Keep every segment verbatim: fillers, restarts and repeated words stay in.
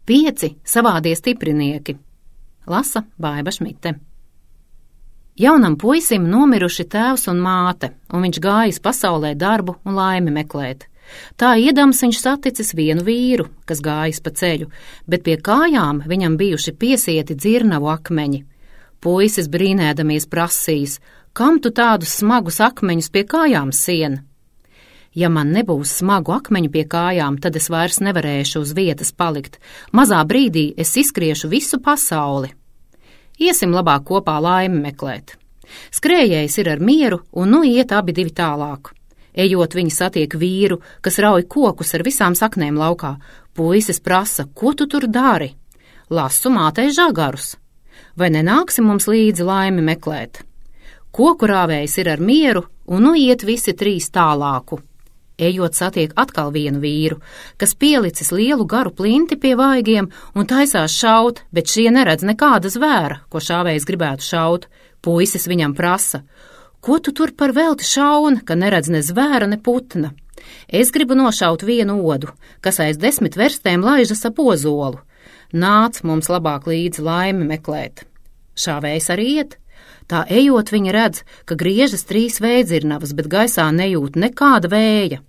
Pieci savādie stiprinieki. Lasa Baiba Šmite. Jaunam puisim nomiruši tēvs un māte, un viņš gājis pasaulē darbu un laimi meklēt. Tā iedams viņš saticis vienu vīru, kas gājis pa ceļu, bet pie kājām viņam bijuši piesieti dzirnavu akmeņi. Puisis brīnēdamies prasījis, kam tu tādus smagus akmeņus pie kājām sien? Ja man nebūs smagu akmeņu pie kājām, tad es vairs nevarēšu uz vietas palikt. Mazā brīdī es izskriešu visu pasauli. Iesim labāk kopā laimi meklēt. Skrējējs ir ar mieru, un nu iet abi divi tālāk. Ejot, viņi satiek vīru, kas rauj kokus ar visām saknēm laukā. Puisis prasa, ko tu tur dari? Lasu mātei žagarus. Vai nenāksi mums līdzi laimi meklēt? Koku rāvējs ir ar mieru, un nu iet visi trīs tālāku. Ejot, satiek atkal vienu vīru, kas pielicis lielu garu plinti pie vaigiem un taisās šaut, bet šie neredz nekāda zvēra, ko šāvējs gribētu šaut. Puisis viņam prasa, ko tu tur par velti šauni, ka neredz ne zvēra, ne putna? Es gribu nošaut vienu odu, kas aiz desmit verstēm laižas ap ozolu. Nāc mums labāk līdzi laimi meklēt. Šāvējs arī iet. Tā ejot, viņa redz, ka griežas trīs vējdzirnavas, bet gaisā nejūt nekāda vēja.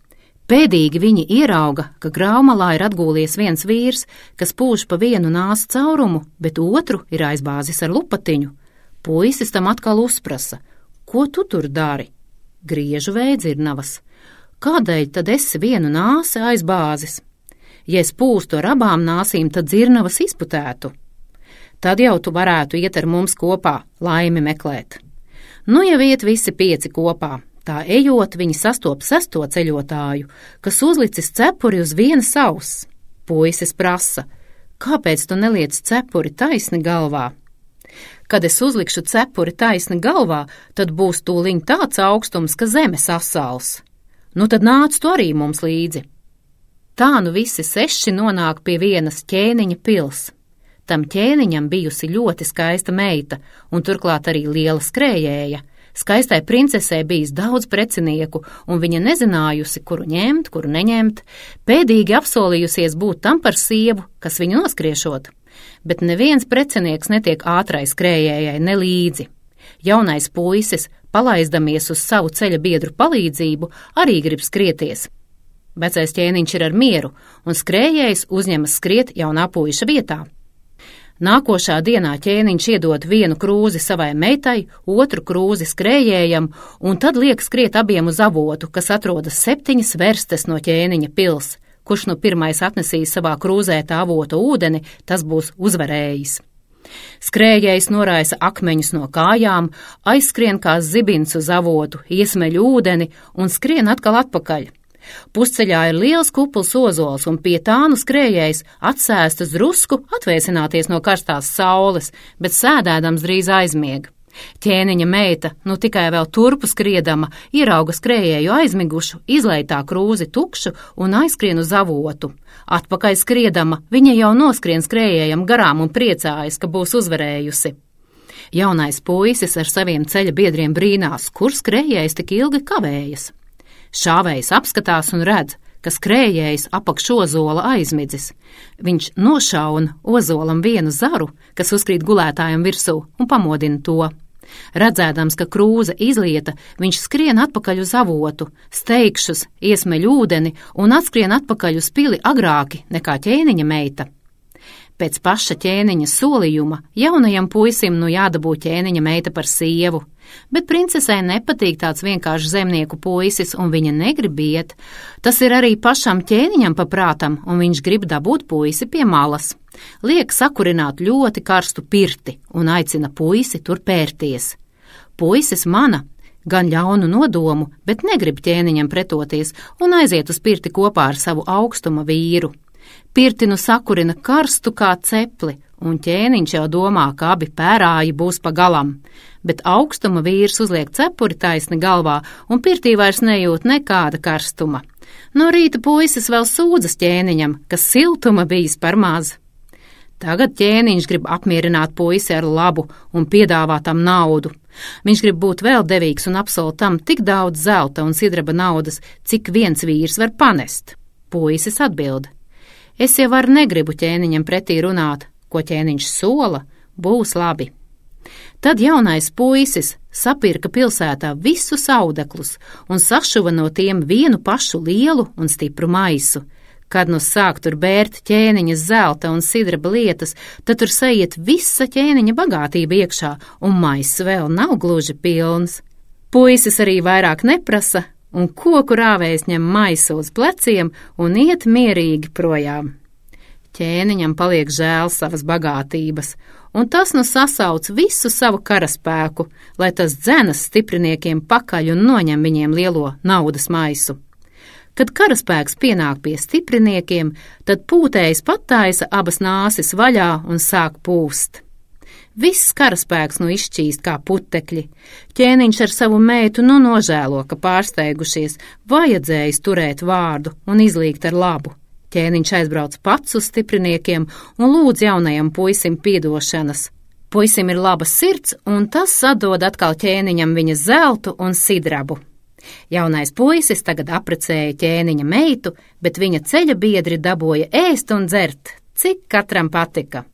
Pēdīgi viņi ierauga, ka graumalā ir atgūlies viens vīrs, kas pūš pa vienu nāsu caurumu, bet otru ir aizbāzis ar lupatiņu. Puisis tam atkal uzprasa, ko tu tur dari? Griežu vējdzirnavas. Kādēļ tad esi vienu nāsi aizbāzis? Ja es pūstu ar abām nāsīm, tad dzirnavas izputētu. Tad jau tu varētu iet ar mums kopā, laimi meklēt. Nu jau iet visi pieci kopā. Tā ejot, viņi sastop sesto ceļotāju, kas uzlicis cepuri uz vienas auss. Puisis prasa, kāpēc tu neliec cepuri taisni galvā? Kad es uzlikšu cepuri taisni galvā, tad būs tūliņ tāds augstums, ka zeme sasals. Nu tad nāc tu arī mums līdzi. Tā nu visi seši nonāk pie vienas ķēniņa pils. Tam ķēniņam bijusi ļoti skaista meita, un turklāt arī liela skrējēja. Skaistai princesei bijis daudz precinieku, un viņa nezinājusi, kuru ņemt, kuru neņemt, pēdīgi apsolījusies būt tam par sievu, kas viņu noskriešot. Bet neviens precinieks netiek ātrai skrējējai nelīdzi. Jaunais puisis, palaizdamies uz savu ceļa biedru palīdzību, arī grib skrieties. Vecais ķēniņš ir ar mieru, un skrējējs uzņemas skriet jaunā puiša vietā. Nākošā dienā ķēniņš iedod vienu krūzi savai meitai, otru krūzi skrējējam, un tad liek skriet abiem uz avotu, kas atrodas septiņas verstes no ķēniņa pils. Kurš nu pirmais atnesīs savā krūzē tā avota ūdeni, tas būs uzvarējis. Skrējējs noraisa akmeņus no kājām, aizskrien kā zibins uz avotu, iesmeļ ūdeni un skrien atkal atpakaļ. Pusceļā ir liels kupls ozols, un pie tā nu skrējējs atsēst uz drusku atvēsināties no karstās saules, bet sēdēdams drīz aizmieg. Ķēniņa meita, nu tikai vēl turpu skriedama, ierauga skrējēju aizmigušu, izlej tā krūzi tukšu un aizskrien uz avotu. Atpakaļ skriedama, viņa jau noskrien skrējējam garām un priecājas, ka būs uzvarējusi. Jaunais puisis ar saviem ceļa biedriem brīnās, kur skrējējs tik ilgi kavējas. Šāvējs apskatās un redz, ka skrējējs apakš ozola aizmidzis. Viņš nošauna ozolam vienu zaru, kas uzkrīt gulētājam virsū, un pamodina to. Redzēdams, ka krūze izlieta, viņš skrien atpakaļ uz avotu, steigšus, iesmeļ ūdeni un atskrien atpakaļ uz pili agrāki nekā ķēniņa meita. Pēc paša ķēniņa solījuma jaunajam puisim nu jādabū ķēniņa meita par sievu, bet princesei nepatīk tāds vienkārši zemnieku puisis, un viņa negrib iet. Tas ir arī pašam ķēniņam paprātam, un viņš grib dabūt puisi pie malas. Liek sakurināt ļoti karstu pirti un aicina puisi tur pērties. Puisis mana gan ļaunu nodomu, bet negrib ķēniņam pretoties un aiziet uz pirti kopā ar savu augstuma vīru. Pirti nu sakurina karstu kā cepli, un ķēniņš jau domā, ka abi pērāji būs pa galam, bet augstuma vīrs uzliek cepuri taisni galvā, un pirtī vairs nejūt nekāda karstuma. No rīta puisis vēl sūdzas ķēniņam, ka siltuma bijis par maz. Tagad ķēniņš grib apmierināt puisi ar labu un piedāvā tam naudu. Viņš grib būt vēl devīgs un apsola tam tik daudz zelta un sidraba naudas, cik viens vīrs var panest. Puisis atbild: Es jau ar negribu ķēniņam pretī runāt, ko ķēniņš sola, būs labi. Tad jaunais puisis sapirka pilsētā visus audeklus un sašuva no tiem vienu pašu lielu un stipru maisu. Kad nu sāk tur bērt ķēniņa zelta un sidraba lietas, tad tur saiet visa ķēniņa bagātība iekšā, un maiss vēl nav gluži pilns. Puisis arī vairāk neprasa, un koku rāvējs ņem maisu uz pleciem un iet mierīgi projām. Ķēniņam paliek žēl savas bagātības, un tas nu sasauc visu savu karaspēku, lai tas dzenas stipriniekiem pakaļ un noņem viņiem lielo naudas maisu. Kad karaspēks pienāk pie stipriniekiem, tad pūtējs pataisa abas nāsis vaļā un sāk pūst. Viss karaspēks nu izšķīst kā putekļi. Ķēniņš ar savu meitu nu nožēlo, ka pārsteigušies, vajadzējis turēt vārdu un izlīgt ar labu. Ķēniņš aizbrauc pats uz stipriniekiem un lūdz jaunajam puisim piedošanas. Puisim ir laba sirds, un tas atdod atkal ķēniņam viņa zeltu un sidrabu. Jaunais puisis tagad apprecēja ķēniņa meitu, bet viņa ceļa biedri dabūja ēst un dzert, cik katram patika.